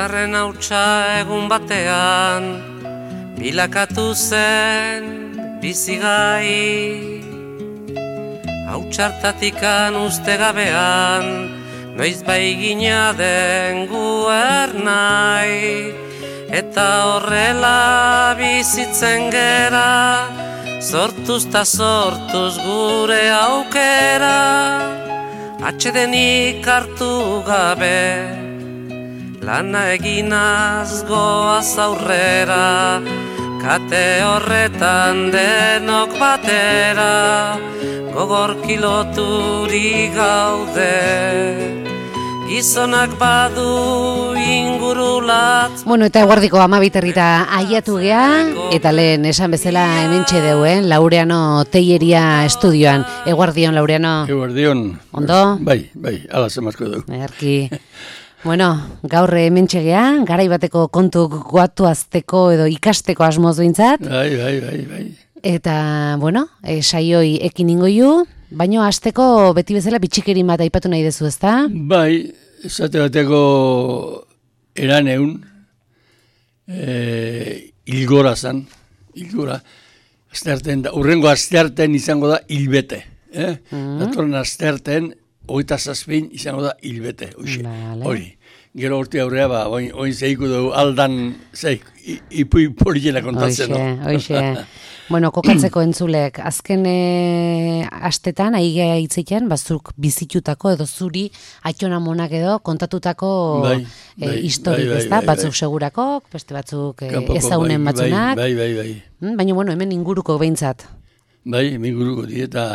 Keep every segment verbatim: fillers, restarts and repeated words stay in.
Bizarren hautsa egun batean bilakatu zen bizigai. Hautsartatikan uste gabean noiz bai gina den guernai. Eta horrela bizitzen gera, sortuz ta sortuz gure aukera. Atsedenik hartu gabe, lana eginaz goaz aurrera. Kate horretan denok batera, gogor kiloturi gaude. Gizonak badu ingurulat. Bueno, eta eguardiko amabiterrita aiatu gea, eta lehen esan bezala hementxe deuen, Laureano Teilleria estudioan. Eguardion, Laureano. Eguardion. Ondo? Bai, bai, ala zemazko dugu. Erki. Bueno, gaur hementxe gea, garai bateko kontu goatuazteko edo ikasteko asmoz bintzat. Bai, bai, bai, bai. Eta, bueno, e, saioi ekin ingoiu, baino hasteko beti bezala bitxikerin bat aipatu nahi dezu, ezta? Bai, esate bateko eraneun, e, ilgora zan, ilgora, astearten da, urrengo astearten izango da hilbete, eh? Mm-hmm. Datorren astearten, hogeita zazpin izango da hilbete, vale. Hori. Gero horti aurrea, ba, oin, oin zeiku dugu aldan, zeik, ipui poliela kontatzen, oixe, no? Oixe, bueno, kokatzeko entzulek, azken e, astetan, aigea hitzetan, bazuk bizitutako edo zuri atxona monak edo kontatutako bai, e, bai, historik, bai, bai, ezta? Bai, batzuk bai. segurako, beste batzuk e, Kampoko, ezaunen bai, batzunak. Bai, bai, bai. Mm, baina, bueno, hemen inguruko behintzat. Bai, hemen inguruko di, eta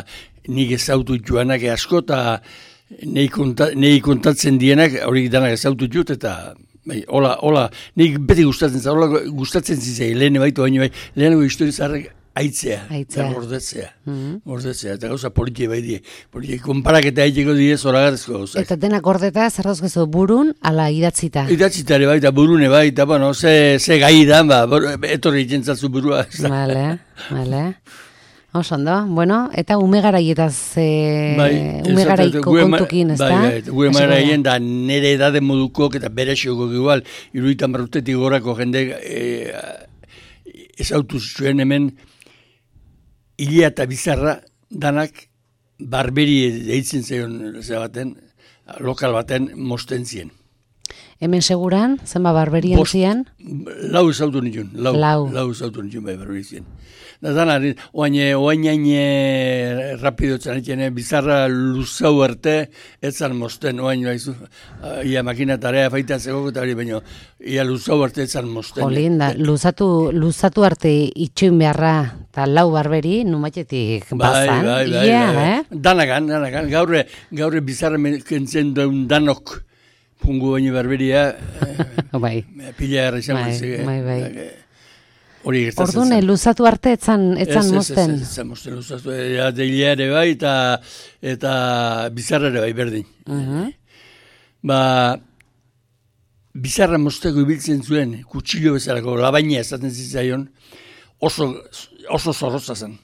nik ezautu joanak asko, eta Nei, konta, nei kontatzen dienak, hori danak ezautu jut, eta bai, hola, hola, nik beti gustatzen zara, hola gustatzen zizei, lehen baitu baino bai, lehenengo historizarrek aitzea, aitzea. Gordetzea, mm-hmm. gordetzea, eta gauza politie bai die, politie, konparaketa aiteko die zoragarrezko gauza. Eta dena gordeta, zer dauzkezu, burun, ala idatzita? Idatzitare bai, eta burune bai, eta bueno, ze, ze gai da, ba, etorri jentzatzu burua. Vale, vale. Osondo, bueno, eta ume garaietaz, e, bai, ume garaiko kontukin, ez da? Bai, bai, gure garaien da nire edade modukok eta bere xeokok igual, iruditan barrutetik gorako jende e, ezautu zuen hemen Ilia eta Bizarra danak barberi deitzen zeion baten, lokal baten mosten zien. Hemen seguran, zenba barberian zian? Lau ezautu nituen, lau, lau. lau ezautu nituen bai barberi zien. Da zanari, oain oain rapido txanetxene, Bizarra luzau arte, etzan mosten, oain baizu, ia makina tarea faita zegoko eta hori, baina ia luzau arte etzan mosten. Jolinda, luzatu, luzatu arte itxuin beharra, eta lau barberi, numatetik bazan. Bai, bai, bai, yeah, bai. Eh? Danagan, danagan, gaurre, gaurre Bizarra kentzen duen danok, pungu baino barberia, bai. Pila erra izan bai, bai, bai. Hori gertatzen Ordune, luzatu arte etzan, etzan ez, mosten. Ez, ez, ez, mosten luzatu. Ja, Deilia ere bai, eta, eta Bizarra ere bai, berdin. Uh-huh. Ba, Bizarra mosteko ibiltzen zuen, kutsillo bezalako, labaina esaten zitzaion, oso, oso zorroza zen.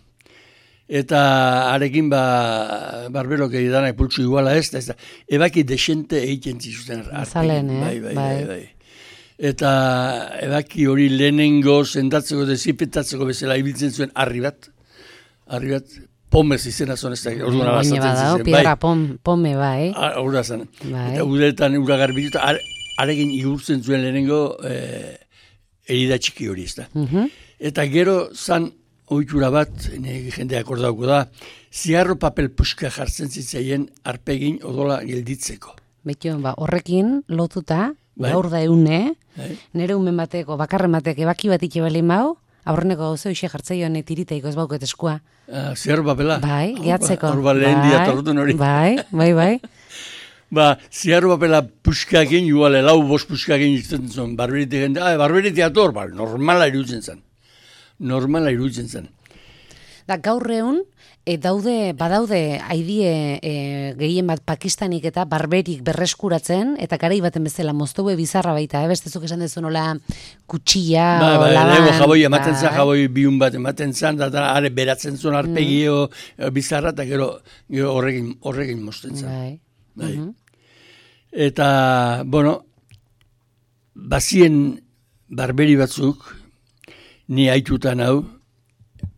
Eta arekin, ba, barberok edanak pultsu iguala ez, ez da, ebaki desente egiten zizuten. Zalen, eh? Bai, bai, bai, bai. Eta ebaki hori lehenengo sendatzeko, dezipetatzeko bezala ibiltzen zuen harri bat, harri bat, pomez izena zon ez da, orduan abazatzen zizen. Baina bada, piedra pome bai. Hor da zen. Bai. Eta uretan ura garbitu, arekin igurtzen zuen lehenengo eh, erida txiki hori ez da. Uh-huh. Eta gero zan ohitura bat, jendea akordauko da, ziarro papel puska jartzen zitzaien arpegin odola gelditzeko. Betio, ba, horrekin lotuta, bai. Gaur da eune, bai. Nere umen bateko, bakarren batek ebaki bat itxebalin bau, aurreneko gauze hoxe jartzeioan tiriteiko ez bauket eskua. Ah, ziarro papela? Bai, gehatzeko. Hor ba lehen dia torrutun hori. Bai, bai, bai. Ba, ziarro papela puskakin, igual, lau bost puskakin izten zuen, barberitik jende, ah, barberitik ator, ba, normala iruditzen zen. Normala iruditzen zen. Da, gaur egun, e, daude, badaude haidie e, gehien bat Pakistanik eta barberik berreskuratzen, eta garai baten bezala moztoue bizarra baita, eh? Bestezuk esan dezu nola kutsilla, ba, ba, laban. Lego jaboi ematen zan, jaboi biun bat ematen zan, da, da, are beratzen zuen arpegio mm. bizarra, eta gero, gero horrekin, horrekin mozten zan. Bai. Bai. Uh-huh. Eta, bueno, bazien barberi batzuk, ni haitutan hau,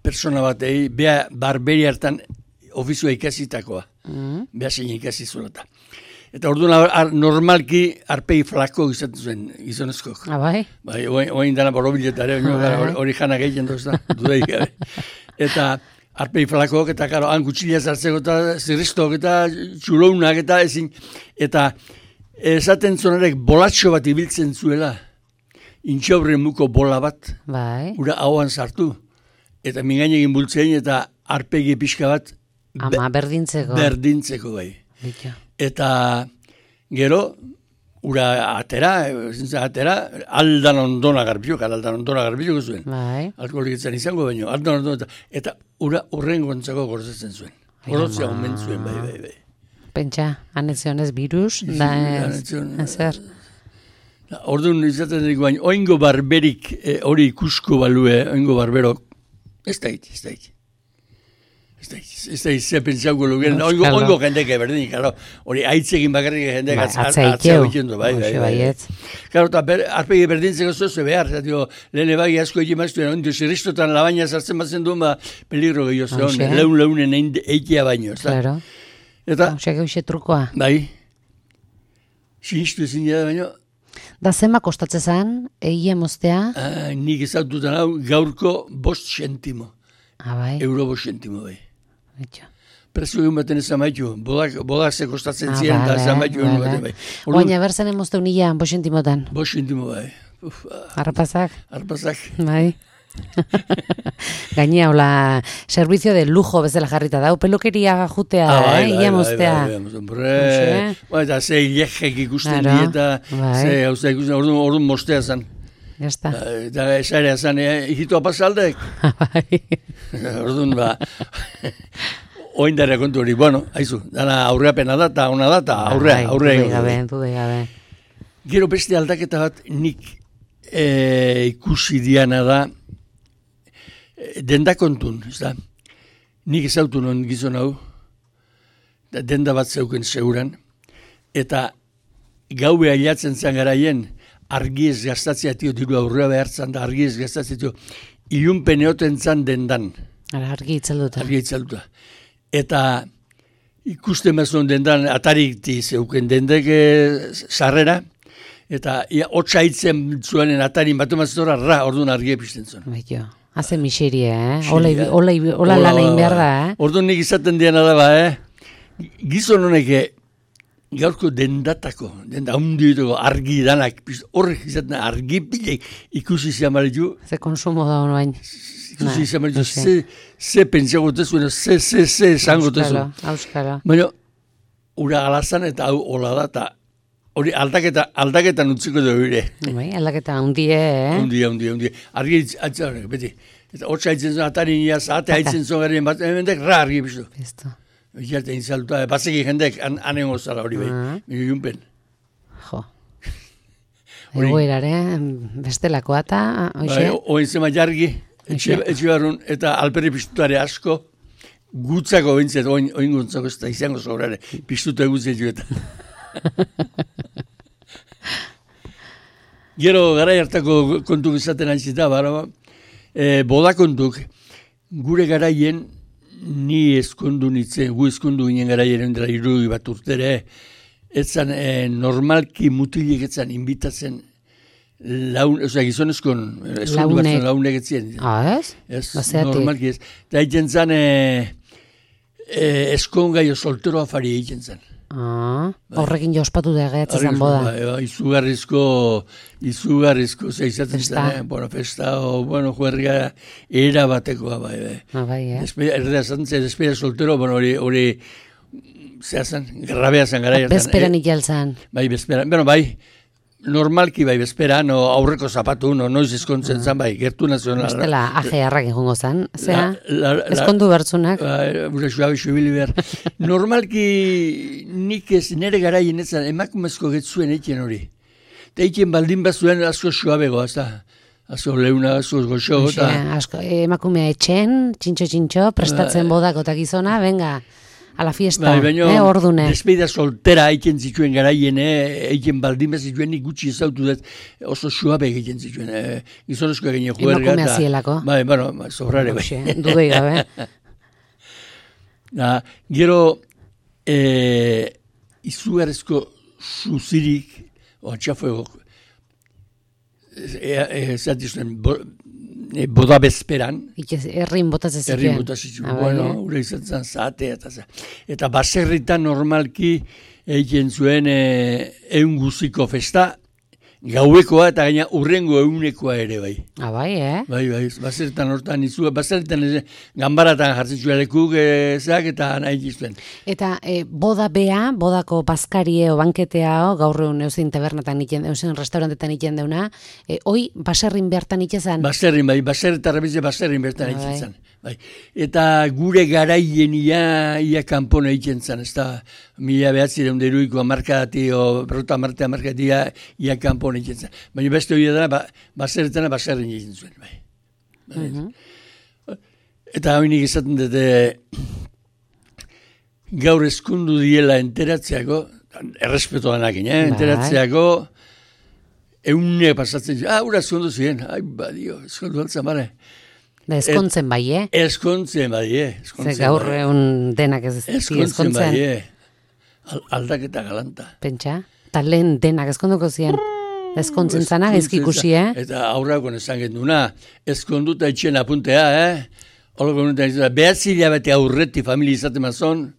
persona batei, bea barberi hartan ofizioa ikasitakoa. Mm. Bea zein ikasi zuelata. Eta orduan normalki arpegi flako izaten zuen gizonezkok. Ah, bai? Bai, oain dana borobiletare, hori jana gehien doz da, dudaik gabe. Eta arpegi flakok, eta karo, han kutsilea zartzeko, eta zirristok, eta txulounak, eta ezin, eta esaten zonarek bolatxo bat ibiltzen zuela, intxaurren muko bola bat, bai. Ura hauan sartu, eta mingain egin bultzein, eta arpegi pixka bat, Ama, berdintzeko. Berdintzeko, bai. Bitu. Eta gero, ura atera, zintza atera, aldan ondona garbiok, aldan ondona garbiok zuen. Bai. Alkoholikitzen izango baino, aldan ondona, eta ura urren gontzako gorzetzen zuen. Gorotzea omen zuen, bai, bai, bai. Pentsa, anetzionez virus, da ez, ezer. Orduan izaten dugu baino, oingo barberik hori eh, ikusko balue, oingo barberok, ez da iti, ez da iti. Ez da izan pentsauko lugeren, oingo, oingo jendeke berdin, karo, hori aitzegin bakarrik jendek ba, atzea ikendu, bai, bai, bai. Karo, eta ber, arpegi berdintzeko zozu behar, zatio, lehene bagi asko egin maztuen, ondo zirristotan labaina sartzen batzen duen, ba, peligro gehiago zeon, leun leunen eitea baino, ez da. Claro. Eta, hausiak euxe trukoa. bai, sinistu ezin da baino, da zema kostatze zan, egia moztea? Ah, nik ezaututan hau gaurko bost sentimo. Ah, bai. Euro bost sentimo, bai. Betxo. Prezio egin baten ezan maitu, bodak, bodak ze kostatzen ah, ziren, eta ezan maitu egin baten, bai. Oaina berzen emozteu nila, bost sentimotan. Bost sentimo, bai. Uf, Arrapazak. Arrapazak. Bai. Gainea, hola, servizio de lujo bezala jarrita dau, pelukeria jutea, ah, bai, eh, ia bai, moztea. Bai, bai, bai, bai, eta ze ilejek ikusten dieta, ze, hauza ikusten, orduan, orduan mostea zan. Jazta. Eta esarea zan, hijitua pasaldek. Bai. Orduan, ba, oindara kontu hori, bueno, haizu, dana aurreapena da, eta ona da, eta aurrea, aurrea. Dudei gabe, dudei gabe. Gero beste aldaketa bat nik e, ikusi diana da, e, denda kontun, ez da? Nik ezautu non gizon hau, denda bat zeuken seguran, eta gaue ailatzen zan garaien, argiez gaztatzea tio, diru aurrea behartzen da, argiez gaztatzea tio, ilunpen eoten zan dendan. Ara, argi itzelduta. Argi itzelduta. Eta ikusten mazuen dendan, atarikti zeuken dendek sarrera, eta hotza hitzen zuenen atarin batu mazora, ra, orduan argi epizten zuen. Baito, haze miseria, eh? Ola, ola, ola lan egin behar da, eh? Orduan nik izaten diana da ba, eh? Gizon honek gaurko dendatako, denda hundituko argi danak, horrek izaten argi pilek ikusi ziamaritu. Ze konsumo da honu bain. Ikusi ziamaritu, ze, ze pentsagotezu, ze, ze, ze esangotezu. Auskalo, auskalo. Baina, ura alazan eta hau hola da, eta hori aldaketa, aldaketan utziko dugu ere. Bai, aldaketa hundie, eh? Hundie, hundie, hundie. Argi atzaren, beti. Eta hotza haitzen zuen, atarin ia, zahate haitzen zuen garen bat, emendek, ra argi biztu. Biztu. Iarte inzaluta, batzeki jendek anen gozala hori behi, uh-huh. Minu junpen. Jo. Egoerare, bestelakoa eta, oixe? Oin zema jargi, etxe barrun, eta alperri piztutare asko, gutzako bintzet, oin, oin guntzako ez da izango sobrare, piztuta egutzen jueta. Gero, gara hartako kontuk izaten antzita, bara, e, boda kontuk, gure garaien, ni eskondu nitzen, gu eskondu ginen gara jeren dela irudi bat urtere, etzan e, normalki mutilek etzan inbitatzen laun, oza, gizonezkon, eskondu bat zen launek etzien. Ah, ez? Ez, normalki ez. Eta egiten zan, e, e, eskongaio soltero afari egiten zan. Ah, horrekin jospatu da egeatzen zan boda. Ba, izugarrizko, izugarrizko, zeizatzen zen, eh? Bueno, festa, o, bueno, juerga, era batekoa, bai, bai. Ah, bai, eh? Erdea zantzen, despera soltero, bueno, hori, hori, zehazan, grabea zan gara. Bezperan ikalzan. Bai, bezperan, bueno, bai, normalki bai, bezperan, no, aurreko zapatu, no, noiz eskontzen zan, bai, gertu nazionala. Bestela, aje harrak egongo zan, zera, eskondu bertzunak. Bura xuabe xubili behar. Normalki nik ez nire garaien etzan emakumezko getzuen eitien hori. Eta eitien baldin bazuen asko xuabego, azta. Asko leuna, asko goxo. Emakumea etxen, txintxo-txintxo, prestatzen bodako eta gizona, venga, a la fiesta, bai, baino, eh, ordune. Despedida soltera aiken zituen garaien, eh, aiken baldin zituen nik gutxi ezautu dut, oso suabe egiten zituen, eh, gizonezkoa gine juerga. Emakumea zielako. Bai, bueno, sobrare bai. Dudei gabe. Da, gero, eh, izugarrezko suzirik, o txafuego, zati zuen, boda bezperan. Errin botatzen zituen. Errin botatzen zituen, bueno, ure izan zen zatea. Eta, eta baserritan normalki egiten zuen egun guziko festa, gauekoa eta gaina urrengo egunekoa ere bai. Ah, bai, eh? Bai, bai, baserritan hortan izu, baserritan ganbaratan jartzen zuen lekuk ezak eta nahi giztuen. Eta e, boda bea, bodako bazkarie o banketea o, gaur egun eusin tabernatan iten, eusin restaurantetan iten deuna, e, hoi baserrin behartan itxezan? Baserrin, bai, baserritarra bize baserrin behartan ah, itxezan. Bai. Eta gure garaien ia, ia kanpona egiten zen, ez da, mila behatzi deun deruiko amarkadati, o berrota amartea amarkadati ia, ia kanpona egiten zen. Baina beste hori da, ba, baserretana baserrin egiten zuen. Bai. Bai. Uh-huh. Eta hori nik esaten dute, gaur eskundu diela enteratzeako, errespetoanak, eh? Enteratzeako, eune pasatzen zuen, ah, ura eskundu ziren, ai, badio, eskundu altzan bare. Da, eskontzen bai, eh? Eskontzen bai, eh? Ze gaur egun denak ez eskontzen. Eskontzen bai, eh? Aldaketa galanta. Pentsa? Eta lehen denak eskonduko ziren. Eskontzen zana, ezkikusi, eh? Eta aurrako nesan genduna, eskonduta itxen apuntea, eh? Holoko nuntan izan, behatzi hilabete aurreti familia izaten mazon,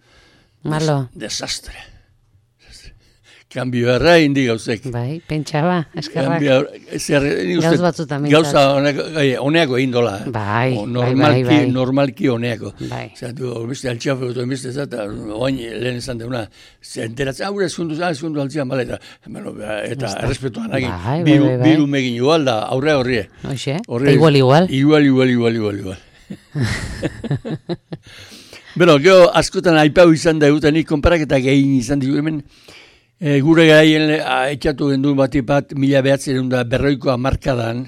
malo. Desastre. Kambio erra indi gauzek. Bai, pentsa ba, eskerrak. Gauz batzutan. Gauza honeako egin dola. Bai, normalki, bai, bai. Normalki honeako. Bai. Zatu, beste altxafe, beste zata, oain lehen esan deuna, zenteratzen, aurre eskundu, ah, eskundu altzian, bale, eta, bueno, eta errespetuan agin, bai, biru, bai, bai. biru megin igual da, aurre horrie. Oixe, eta igual, igual. Igual, igual, igual, igual, igual. Bueno, geho, askotan aipau izan da egutanik, konparaketak egin izan digu hemen, E, gure garaien etxatu gendu bati bat mila behatzen da berroiko amarkadan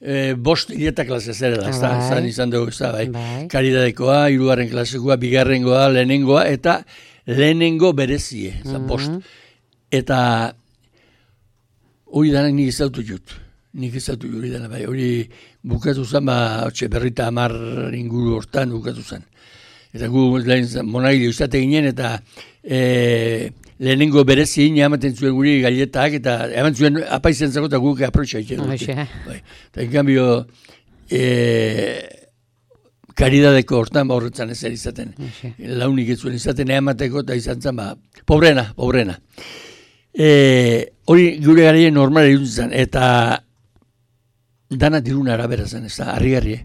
e, bost hileta klase zerela, ez da, zan izan dugu, ez da, bai. bai. Karidadekoa, hirugarren klasekoa, bigarrengoa, lehenengoa, eta lehenengo berezie, ez da, bost. Eta hori danak nik izautu jut, nik izautu jut, hori danak, bai, hori bukatu zen, ba, otxe, berrita amar inguru hortan bukatu zen. Eta gu lehen monagile uzate ginen, eta e, lehenengo berezi ina ematen zuen guri galetak, eta eman zuen apaizen zago eta guk aprotxa egiten dute. Bai. Eta en cambio, e, karidadeko hortan ba horretzan ezer izaten. Oixe. Launik ez zuen izaten emateko eta izan zen, ba, pobrena, pobrena. E, hori gure garaien normal egin zen, eta dana dirun arabera zen, ez da, harri-harri.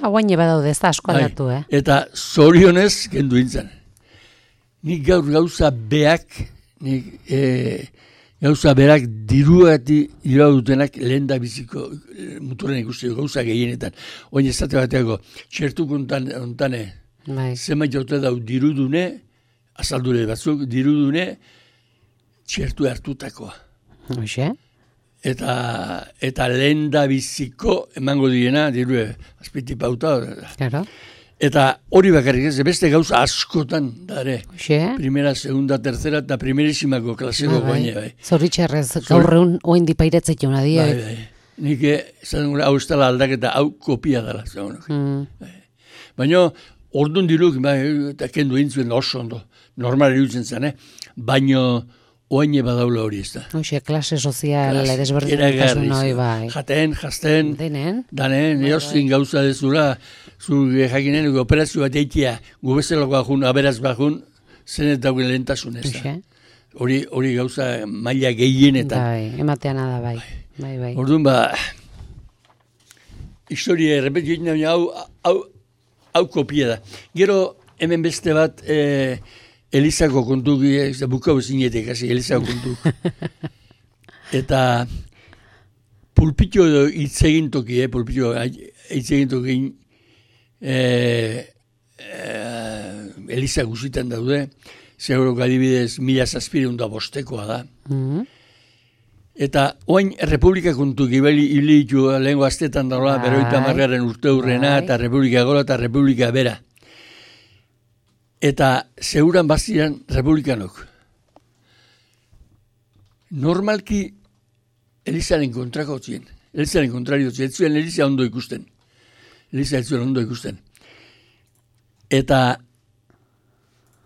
Hauain eba daude, ez da asko aldatu, eh? Eta zorionez kendu intzen. Nik gaur gauza beak, nik e, gauza berak diruati dirua dutenak lehen da biziko muturen ikusteko gauza gehienetan. Oin ez zate bateako, txertuk ontane, zenbait jaute dau dirudune, azaldure batzuk, dirudune, txertu hartutakoa. Oixe? Eta, eta lehen da biziko emango direna, dirue, azpiti pauta. Claro. Eta hori bakarrik ez, beste gauza askotan, dare. Xe? Primera, segunda, tercera, eta primerísimako klaseko ah, guaine, bai. Zoritxerrez, gaur egun oen dipairetzek jauna di. Bai, bai. Nik, esan gure, hau ez dela aldaketa, hau kopia dela. Mm. Bai. Baina, orduan diruk, bai, eta kendu intzuen oso ondo, normal irutzen zen, eh? Baina, oaine badaula hori ez da. Oixe, klase sozial, desberdintasun hori, bai. Jaten, jazten, denen, danen, bai, eozkin gauza dezula, zu jakinen, operazio bat eitia, gubezelako bajun, aberaz bajun, zenet dauen lehentasun ez da. Hori, hori gauza maila gehienetan. Bai, emateana da, bai. Bai, bai. Orduan ba, historia errepetu egin da, hau, hau, hau kopia da. Gero, hemen beste bat, eh, Elizako kontu, bukau zinetek, hasi, Elizako kontu. Eta pulpitio hitzegin toki, eh, pulpitio hitzegin toki, eh, eh, Eliza guzitan daude, segurok adibidez mila zazpireun da bostekoa da. Mm-hmm. Eta oain Republika kontu gibeli hilitu lehenko aztetan daula, beroita margaren urte hurrena, eta Republika gola eta Republika bera. eta zeuran baziran republikanok. Normalki Elizaren kontrako zien, Elizaren kontrario zien, ez zuen Eliza ondo ikusten. Eliza ez zuen ondo ikusten. Eta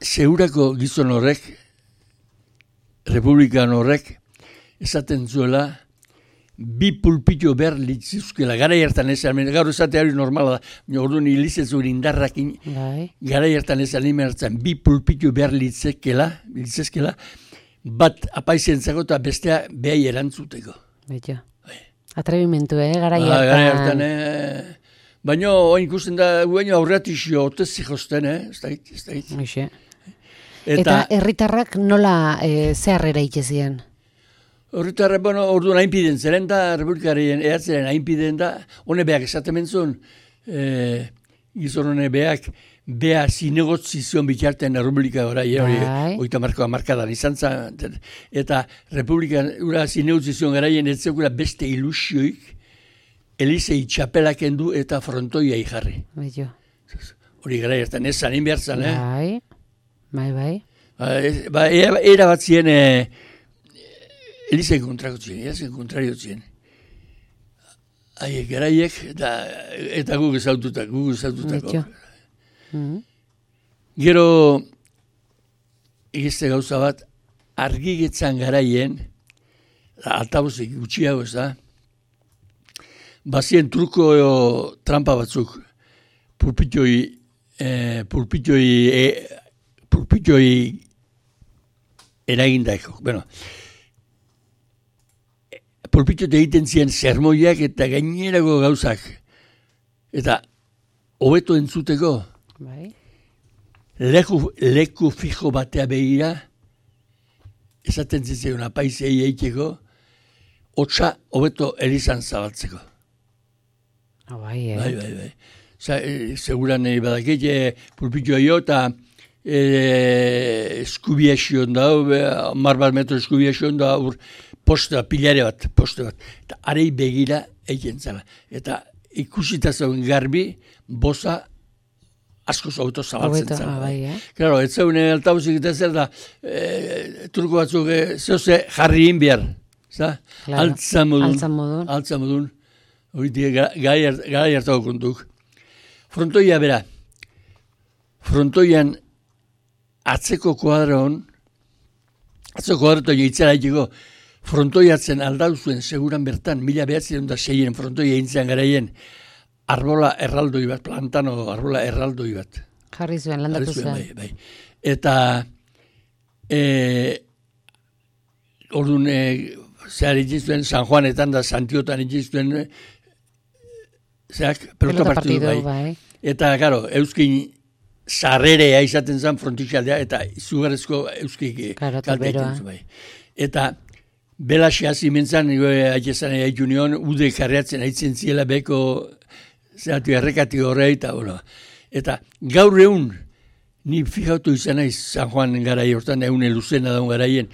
zeurako gizon horrek, republikan horrek, esaten zuela, bi pulpito behar litzizuzkela, gara hartan ezan, gaur esate hori normala da, orduan ilizetzuen indarrakin, gara hartan ezan hartzen, bi pulpito behar litzezkela, litzezkela, bat apaizentzako eta bestea behai erantzuteko. Beto. Atrebimentu, eh, gara hartan. hartan. Gara hartan, eh. Baina, oin ikusten da, baina aurratixio, otezi josten, eh, ez da hit, ez da hit. Eta, eta herritarrak nola e, zeharrera itxezien? Horretarra, bueno, orduan hainpiden zeren da, republikarien ehatzeren hainpiden da, hone beak esaten mentzun, e, gizon hone beak, bea zinegotzizion bitarten republika gora, hori, oita markoa markadan izan zen, eta republikan ura zinegotzizion garaien etzekura beste ilusioik, Elizei txapelak endu eta frontoia jarri. Beto. Hori gara jertan, ez zanin behar zan, eh? Bai, bai, bai. Ba, era bat zien, eh, Elizen kontrako zien, Elizen kontrario zien. Haiek garaiek, eta, eta guk ezaututak, guk ezaututako. Mm-hmm. Gero, egizte gauza bat, argigetzan garaien, altabuzik gutxiago ez da, bazien truko eo, trampa batzuk, pulpitoi, eh, pulpitoi, eh, pulpitoi eragindaiko. Bueno, pulpitote egiten ziren sermoiak eta gainerako gauzak. Eta hobeto entzuteko, bai. leku, leku fijo batea begira, esaten zitzen apaizei eiteko, hotza hobeto Elizan zabaltzeko. Oh, bai, eh? Bai, bai, bai. E, seguran e, badakit, e, pulpitoa jo, eta e, eskubia xion da, mar bat metro eskubia xion da, ur, posta, pilare bat, poste bat. Eta arei begira egiten zela. Eta ikusita zauen garbi, boza asko zauto zabaltzen zela. Bai, eh? Claro, ez zauen altabuzik eta zer da, e, turko batzuk, e, zehose jarri inbiar. Claro. Altza modun. Altza modun. Altza modun. Horitik, gara hartako kontuk. Frontoia bera. Frontoian atzeko kuadron, atzeko kuadrotoia itzara itiko, frontoiatzen aldauzuen seguran bertan, mila behatzen da seien frontoia intzean garaien, arbola erraldoi bat, plantano arbola erraldoi bat. Jarri zuen, landatu zuen. Bai, bai. Eta, e, orduan, e, zehar itxiztuen, San Juanetan da Santiotan itxiztuen, zeak, pelota partidu, bai. bai. Eta, karo, euskin sarrerea izaten zen frontixaldea, eta izugarrezko euskik kalte egiten bai. Eta, belaxe hasi mentzan, haitezan haitu nion, ude karreatzen haitzen ziela beko, zehatu errekati horre, eta, bueno. Eta, gaur egun, ni fijautu izan naiz, San Juan garai hortan, egun luzena daun garaien,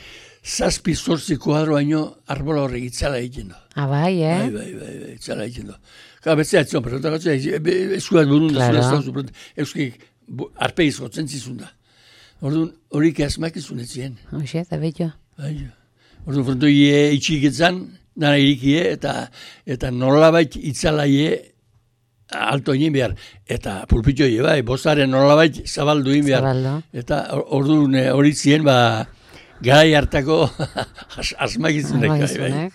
zazpi zortzi kuadro haino arbola horrek itzala egiten du. Ah, bai, eh? Bai, bai, bai, bai itzala egiten du. Gara, betzea etzon, perotak eskuat burun da, claro. Euskik arpegiz gotzen zizun da. Orduan, horik asmak izun etzien. Hoxe, eta betio. Bai, orduan, frontoi itxiketzan, dana irikie, eta, eta nolabait itzalaie alto egin behar. Eta pulpitoi, bai, bozaren nolabait zabaldu egin behar. Zabaldo. Eta orduan, hori zien, ba, garai hartako asmakizunek. Bai.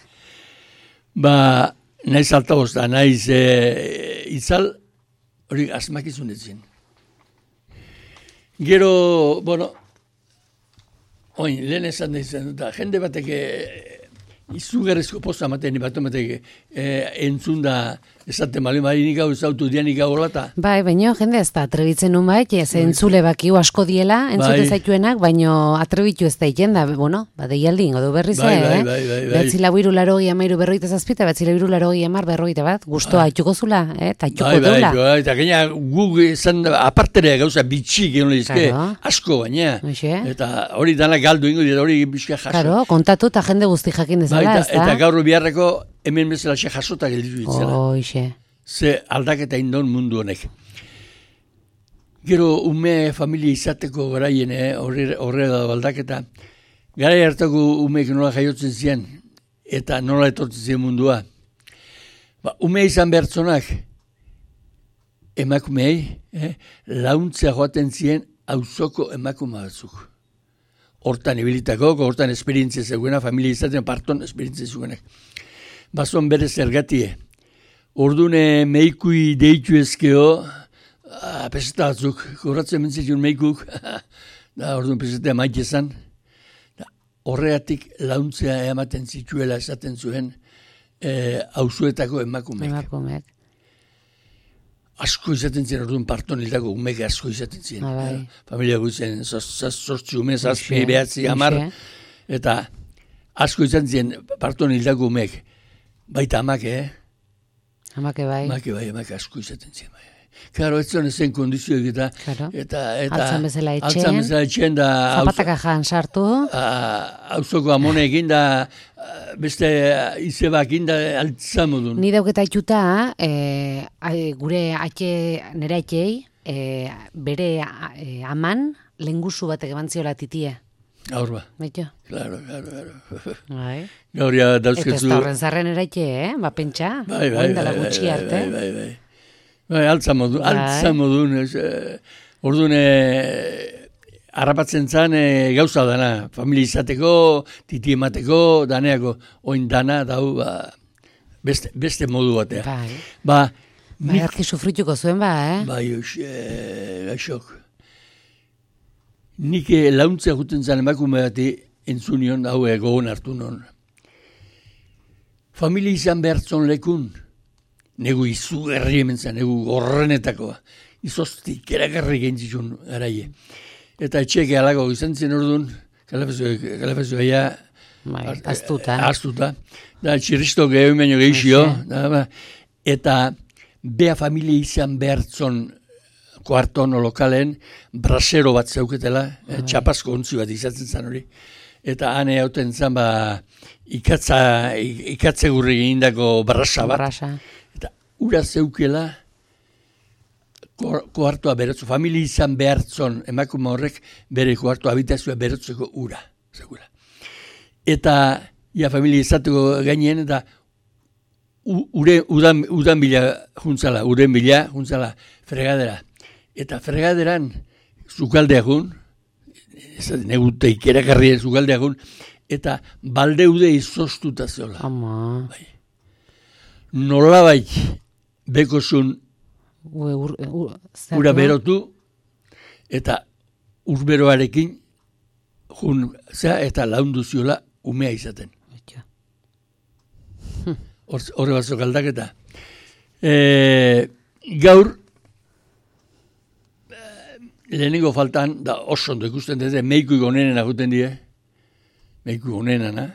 Ba, naiz altaboz da, naiz e, itzal, hori asmakizunetzen. Gero, bueno, oin, lehen esan da izan, da, jende batek izugarrezko posta maten, bat ematek e, entzun da, esaten mali marinik hau ezautu dianik hau olata. Bai, baina jende ez da atrebitzen nun bai, ez entzule bakiu asko diela, entzute bai. Zaituenak, baina atrebitu ez da iten da, bueno, ba, deialdi ingo du berriz, bai, eh? Bai, bai, bai, bai. Betzila biru laro gia mairu berroita zazpita, betzila biru laro gia mar berroita bat, guztua bai. Itxuko zula, eh? Ta itxuko bai, dula. Bai, bai, eta gaina guk izan aparterea gauza bitxik egon lehizke, claro. Asko baina. Oixe. Eta hori dana galdu ingo dira, hori bizka jaso. Claro, kontatu eta jende guzti jakin dezala, bai, eta, eta gaur biharreko hemen bezala xe jasota gelditu ditzela. Oixe. Ze aldaketa indon mundu honek. Gero ume familia izateko garaien, eh? horre da baldaketa. Garai hartako umeek nola jaiotzen ziren, eta nola etortzen ziren mundua. Ba, ume izan behartzonak, emakumei, eh? launtzea joaten ziren auzoko emakume batzuk. Hortan ibilitako, hortan esperientzia zegoena, familia izaten parton esperientzia zegoenak. Bazon bere zergatie. Ordune meikui deitu ezkeo, ah, peseta batzuk, gorratzen mentzitun meikuk, da ordun peseta maite zan. Horregatik launtzea ematen zituela esaten zuen eh, auzuetako emakumeek. Emakumeek. Asko izaten ziren, orduan parton hildako umek asko izaten ziren. Ah, bai. Familia guitzen, zortzi ume, zazpi, behatzi, hamar, eta asko izaten ziren parton hildako umek. Baita amak, eh? Amake bai. Amake bai, amake asko izaten ziren. Bai. Claro, ez zuen ezen kondizioek eta... Claro. Eta, eta... Altzan bezala etxen. Altzan bezala etxen da... Zapataka jan sartu. Hauzoko amoneekin da... Beste izebakin da altzan modun. Ni dauketa ituta, e, gure atxe, nire atxei, e, bere e, aman lengusu batek eman ziola titie. Gaur ba. Baito? Claro, claro, claro. Bai. Gaur ja dauzketzu... Eta ez da horren zarren nire atxe, eh? Ba, pentsa. Bai, bai, bai, bai, arte. bai, bai, bai. Bai, altzan modun, bai. altzan modun. Eh, orduan, eh, harrapatzen zan e, gauza dana, familia izateko, titi emateko, daneako, oin dana, dau, ba, beste, beste modu batea. Bai. Ba, bai, arki sufrituko zuen ba, eh? Bai, oix, e, gaixok. Nik launtzea juten zan emakume bati entzunion, hau egoon hartu non. Familia izan behartzon lekun, negu izu herri hemen zan, negu gorrenetakoa. Izoztik, erakarri gentzitun garaie. Eta etxeke alago izan zen orduan, kalafezua ja... Bai, astuta. Astuta. Da, txirristo gehiago baino gehizio. Eta bea familia izan behartzon kuarton o lokalen, brasero bat zeuketela, eh, txapazko ontzi bat izatzen zan hori. Eta hane hauten zan, ba, ikatza, ikatze gurri gindako brasa bat. Brasa. Eta ura zeukela, kuartoa berotzu, familia izan behartzon emakume horrek bere kuartoa habitazioa berotzeko ura. Segura. Eta, ja, familia izateko gainean, eta ure, udan, udan bila juntzala, uren bila juntzala fregadera. Eta fregaderan zukaldeagun, negute ikerakarri zukaldeagun, eta baldeude izoztuta zola. Ama. Bai. Nolabait bekozun Ue, ur, ur, ura berotu, eta urberoarekin jun, zera, eta laundu ziola umea izaten. Horre batzuk aldaketa. E, gaur, lehenengo faltan, da oso ondo ikusten dute, meikuik onenen aguten die, meikuik onenana,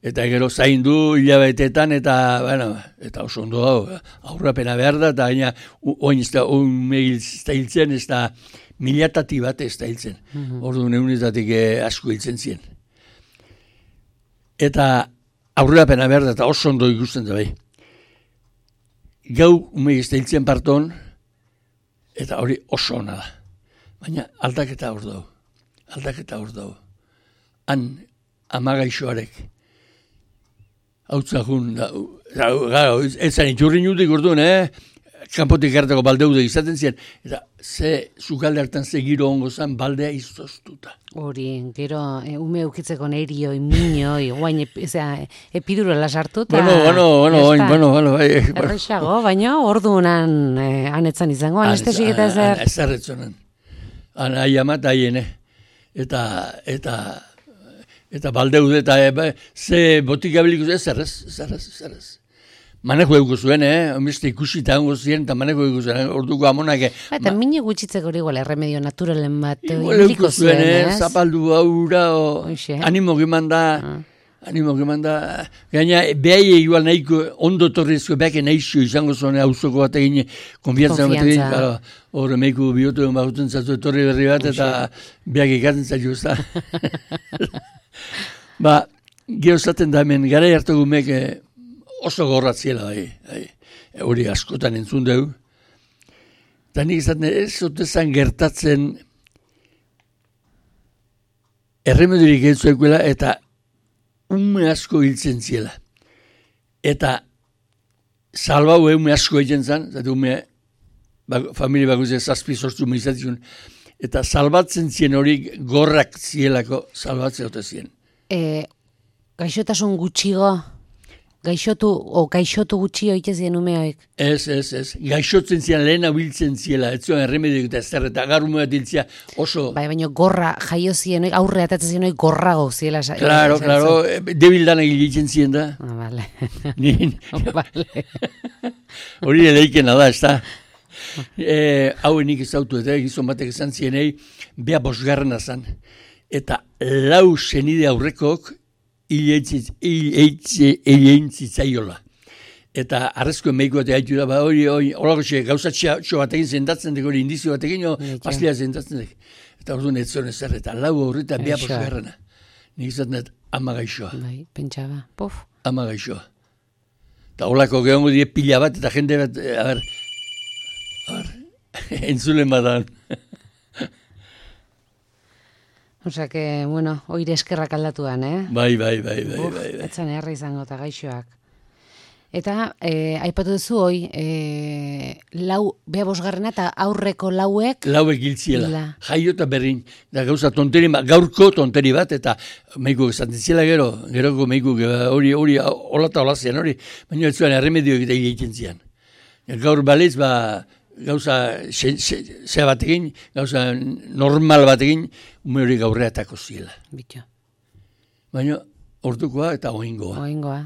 eta gero zaindu hilabetetan, eta, bueno, eta oso ondo dago, aurrapena behar da, eta gaina, oin ez da, oin ez da hiltzen, ez da, milatati bat ez da hiltzen. Mm-hmm. Orduan egunetatik eh, asko hiltzen ziren. Eta aurrapena behar da, eta oso ondo ikusten da bai. Gau, ume ez da hiltzen parton, eta hori oso ona da. Baina aldaketa hor dago. Aldaketa hor dago. Han, amagaixoarek, hau txakun, ez zan itxurri nutik orduan, eh? Kanpotik hartako baldeude izaten ziren, eta ze zukalde hartan ze giro ongo zan baldea izoztuta. Hori, gero, e, ume eukitzeko nerio, imiñoi, guain epiduro lasartu. Bueno, bueno, bueno, bueno, bueno, bueno, bai. Errexago, baina orduan eh, anetzan izango, anestesik eta zer. Ez erretzonan. Han ahi amat ahiene. Eta, eta, eta baldeude, eta e, ze botika biliko ez zerrez, zerrez, zerrez. Manejo euko zuen, eh? Omeste ikusi eta hongo ziren, eta manejo euko zuen, orduko amonak. Eta ma... mine gutxitzeko hori igual, erremedio naturalen bat. Igual euko zuen, eh? Zapaldu aura, o... Animo geman da, ah. animo geman da. Gaina, behai igual nahiko, ondo torrezko, behake nahizio izango zuen, hauzoko bat egin, konfianza bat egin, claro, hor meiko biotu baguten zatu torri berri bat, eta behak ikatzen zaitu, ezta. Ba, gero zaten da hemen, gara hartu gumek, oso gorratziela, hori askotan entzun dugu. Eta nik izaten ez zotezan gertatzen erremedirik entzuekuela eta ume asko hiltzen ziela. Eta salbau ume asko egiten zen, zate ume familia bakoitzak zazpi sortu milizatzen, eta salbatzen zien hori gorrak zielako salbatzen ote zien. E, gaixotasun gutxigo, gaixotu, o gaixotu gutxio itezien umeoik? Ez, ez, ez. Gaixotzen zian lehen biltzen ziela, ez zuen erremediok eta ez zer, eta agar umeak diltzia oso... Bai, baina gorra jaio zienoik, aurre atatzen zienoik gorrago ziela. Claro, claro, debildan egiten zien da. Ah, vale. Nin. Vale. Hori eleikena da, ez da. E, hau enik ezautu eta gizon batek esan zienei, bea bosgarrena zan. Eta lau senide aurrekok hilein zitzaiola. Eta arrezko emeiko eta haitu da, ba, hori, hori, horako xe, gauza txo batekin zendatzen dek, hori indizio batekin, pastia zendatzen dek. Eta hori duen etzon ezer, eta lau horreta bea bosgarrena. Nik izaten dut, ama gaixoa. Bai, pentsaba, pof. Ama gaixoa. Eta horako gehongo die pila bat, eta jende bat, a ber, entzulen badan. Osea que, bueno, oire eskerrak aldatuan, eh? Bai, bai, bai, bai, Uf, bai, bai. etzan erra izango eta gaixoak. Eta, eh, aipatu duzu hoi, eh, lau, bea bosgarrena eta aurreko lauek... Lauek hiltziela, La. jaio eta berrin. Da gauza tonteri, gaurko tonteri bat, eta meiko esaten ziela gero, geroko meiko hori, hori, hola eta hola zian hori, baina ez zuen erremedioak eta egiten zian. Gaur baliz, ba, gauza ze batekin, gauza normal batekin, ume hori gaurreatako ziela. Bitu. Baina, ordukoa eta oingoa. Oingoa.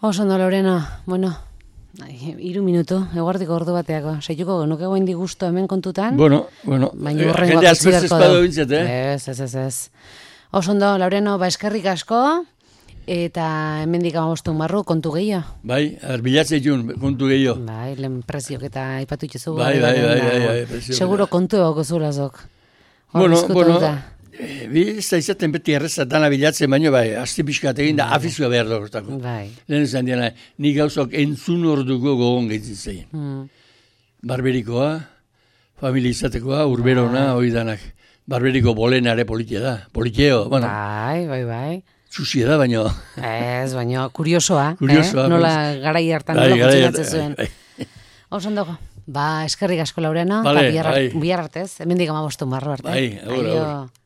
Oso ondo, Lorena, bueno, hiru minutu, eguardiko ordu bateako. Seituko genuke goen digusto hemen kontutan. Bueno, bueno, baina horrengoak jende utzi azpez beharko espado du. bintzat, eh? Ez, ez, ez, ez. Oso ondo, Laureno, ba eskerrik asko, eta hemendik amabostun barru, kontu gehiago. Bai, bilatzea jun, kontu gehiago. Bai, lehen preziok eta aipatu itxezu. Bai, bai, bai, bai, bai, preziok. Seguro kontu egoko zulazok. Bueno, bueno, e, bi ez da izaten beti erreza dana bilatzen, baina bai, asti pixkat egin da afizua behar dugotako. Bai. Lehen esan diana, ni gauzak entzun orduko gogon gehitzen zein. Mm. Barberikoa, familia izatekoa, urberona, hori danak. Barberiko bolenare politia da, politieo, bueno. Bai, bai, bai. Txusia da, baina... Ez, baina kuriosoa, Kuriosoa, eh? Nola pues. garai hartan Bai, nola garai funtzionatzen zuen. hartan, bai, Oso ondo. Ba, eskerrik asko Laurena, Vale, eta bihar, bai. bihar artez, hemendik amabostun barru arte. Bai, agur, agur. Aio.